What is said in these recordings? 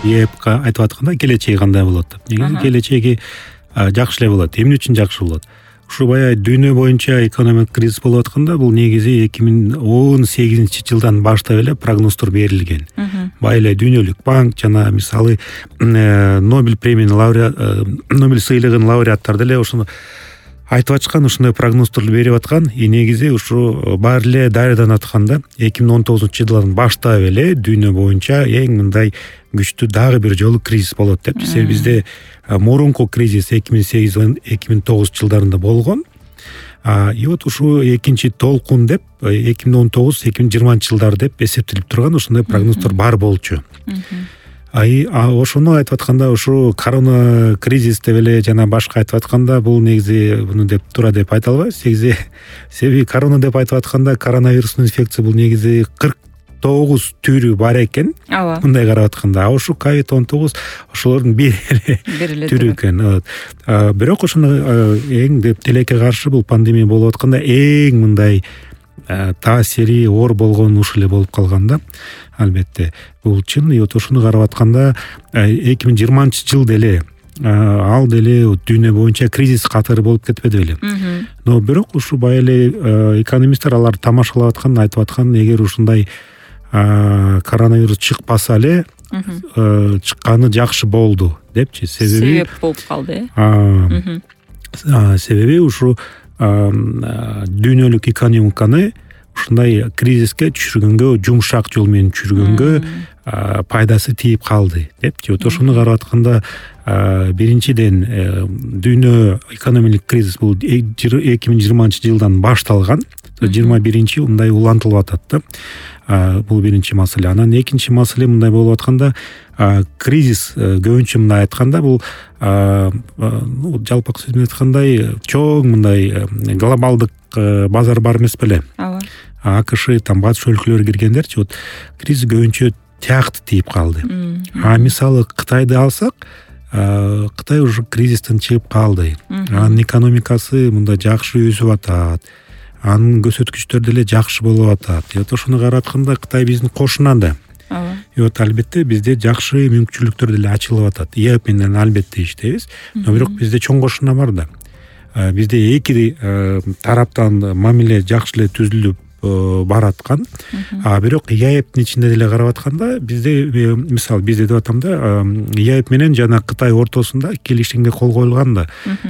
ЕЭПка айтып атканда келечеги кандай болот деп. Негизи келечеги жакшы эле болот. Эмне үчүн жакшы болот? Ушу баягы дүйнө боюнча экономикалык кризис болуп атканда бул негизи 2018-жылдан баштап эле прогноздор берилген. Баягы эле Дүйнөлүк банк жана мисалы Нобель премиянын Нобель сыйлыгынын лауреаттары деле ошону айтып ачкан, ушундай прогноздорду берип аткан. Негизи ушу баары эле даярданып атканда 2019-жылдан баштап эле дүйнө боюнча эң мындай күчтүү дагы бир жолу кризис болот деп. Себеби бизде мурунку кризис 2008-2009 жылдарында болгон. И вот ушу экинчи толкун деп 2019-2020 жылдары деп эсептелип турган ушундай прогноздор бар болчу. Ошону айтып атканда ушу корона кризис деп эле жана башка айтып атканда бул негизи буну деп туура деп айта албайбыз. Себеби корона деп айтып атканда коронавирустун инфекция бул негизи 49 түрү бар экен. Мындай карап атканда, ушу COVID-19 ошолордун бир эле түрү экен. Бирок ошону эң деп тилекке каршы бул пандемия болуп атканда эң мындай таасири оор болгон ушул эле болуп калганда, албетте бул чын. И вот ошону карап атканда 2020 жыл деле ал деле дүйнө боюнча кризис катары болуп кетпеди беле. Но бирок ушу баягы эле экономисттер алар тамашалап аткан, айтып аткан, эгер ушундай коронавирус чыкпаса эле чыкканы жакшы болду депчи. Себеп болуп калды. Себеби ушу дүйнөлүк экономиканы ушундай кризиске түшүргөнгө, жумшак жол менен түшүргөнгө пайдасы тийип калды депчи. Вот ошону карап атканда биринчиден дүйнө экономикалык кризис бул 2020 жылдан башталган. 21 мындай улантылып атат да. Бул биринчи маселе. Анан экинчи маселе мындай болуп атканда, кризис көбүнчө мындай айтканда бул жалпак сөз менен айткандай чоң мындай глобалдык базар бар эмес беле? АКШ, батыш өлкөлөрү киргендерчи, вот кризис көбүнчө тиякты тийип калды. Мисалы Кытайды алсак, Кытай уже кризистен чыгып калды. Анын экономикасы мындай жакшы өсүп атат. Анын көрсөткүчтөрү деле жакшы болуп атат. Вот ошону карап атканда Кытай биздин кошуна да. Вот албетте бизде жакшы мүмкүнчүлүктөр деле ачылып атат. ЕЭП менен албетте иштейбиз, но бирок бизде чоң кошуна бар да. Бизде эки тараптан мамиле жакшы эле түзүлүп бараткан. Бирок ЕЭПтин ичинде деле карап атканда бизде мисалы бизде деп атам да, ЕЭП менен жана Кытай ортосунда келишимге кол коюлган да.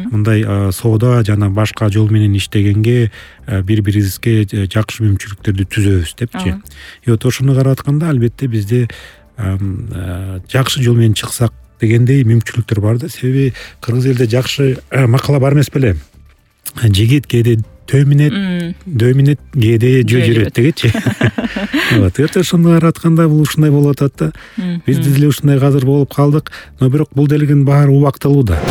Мындай соода жана башка жол менен иштегенге бири-бирибизге жакшы мүмкүнчүлүктөрдү түзөбүз депчи. И вот ошону карап атканда албетте бизде жакшы жол менен чыксак дегендей мүмкүнчүлүктөр бар да. Себеби кыргыз элде жакшы макала бар эмес беле? Жигит кээде дөмүнөт кээде жөө жүрөт дегенчи. Вот ошону карап атканда бул ушундай болуп атат да. Бизде деле ушундай азыр болуп калдык, но бирок бул делегин баары убактылуу да.